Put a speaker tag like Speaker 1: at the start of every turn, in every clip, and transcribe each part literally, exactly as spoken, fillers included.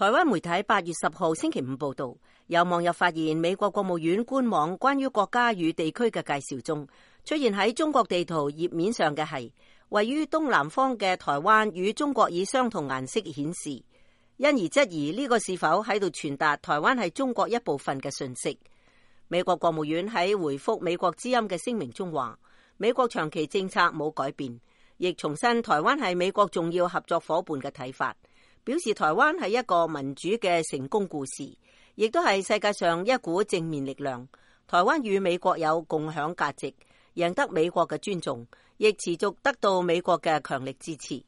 Speaker 1: 台灣媒體八月十號星期五報道，有網友發現美國國務院官網關於國家與地區嘅介紹中，出現喺中國地圖頁面上嘅係位於東南方嘅台灣與中國以相同顏色顯示，因而質疑呢個是否喺度傳達台灣係中國一部分嘅訊息。美國國務院喺回覆美國之音嘅聲明中話，美國長期政策冇改變，亦重申台灣係美國重要合作伙伴嘅睇法，表示台灣係一個民主嘅成功故事，亦都係世界上一股正面力量。台灣與美國有共享價值，贏得美國嘅尊重，亦持續得到美國嘅強力支持。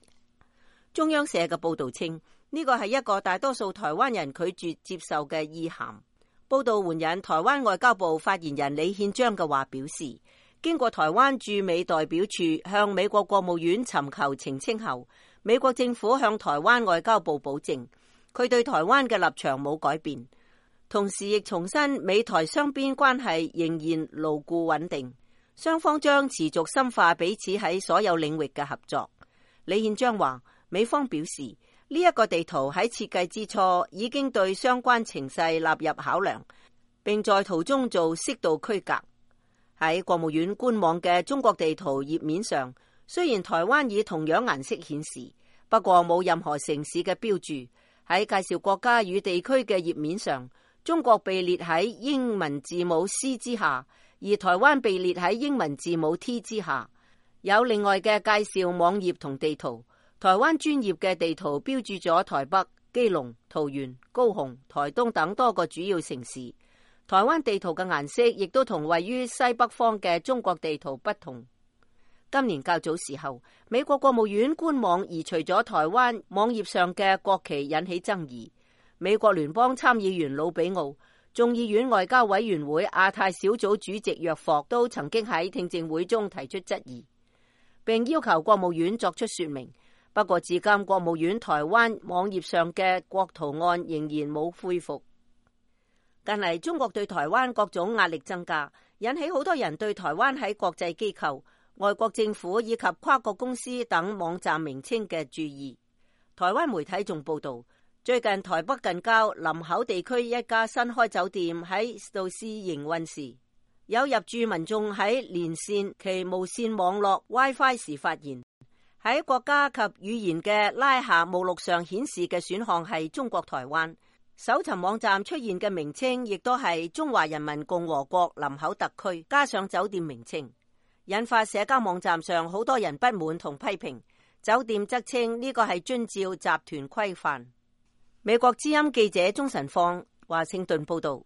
Speaker 1: 中央社嘅報道稱，呢個係一個大多數台灣人拒絕接受嘅意涵。報道援引台灣外交部發言人李憲章嘅話表示，經過台灣駐美代表處向美國國務院尋求澄清後，美國政府向台灣外交部保證，佢對台灣嘅立場冇改變，同時亦重申美台雙邊關係仍然牢固穩定，雙方將持續深化彼此喺所有領域嘅合作。李憲章話，美方表示呢一個地圖喺設計之初已經對相關情勢納入考量，並在途中做適度區隔。喺國務院官網嘅中國地圖頁面上，雖然台灣以同樣顏色顯示，不過冇任何城市嘅標注。喺介紹國家與地區嘅頁面上，中國被列喺英文字母 C 之下，而台灣被列喺英文字母 T 之下。有另外嘅介紹網頁同地圖，台灣專頁嘅地圖標注咗台北、基隆、桃園、高雄、台東等多個主要城市。台灣地圖嘅顏色亦都同位於西北方嘅中國地圖不同。今年較早時候，美國國務院官網移除咗台灣網頁上嘅國旗，引起爭議。美國聯邦參議員魯比奧、眾議院外交委員會亞太小組主席約霍都曾經喺聽證會中提出質疑，並要求國務院作出說明。不過至今，國務院台灣網頁上嘅國圖案仍然冇恢復。近嚟中國對台灣各種壓力增加，引起好多人對台灣喺國際機構、外國政府以及跨國公司等網站名稱嘅注意。台灣媒體仲報道，最近台北近郊林口地區一家新開酒店喺度試營運時，有入住民眾喺連線其無線網絡 WiFi 時發現，喺國家及語言嘅拉下目錄上顯示嘅選項係中國台灣。搜尋網站出現嘅名稱亦都係中華人民共和國林口特區，加上酒店名稱，引發社交網站上好多人不滿同批評。酒店則稱呢個係遵照集團規範。美國之音記者鍾晨放華盛頓報道。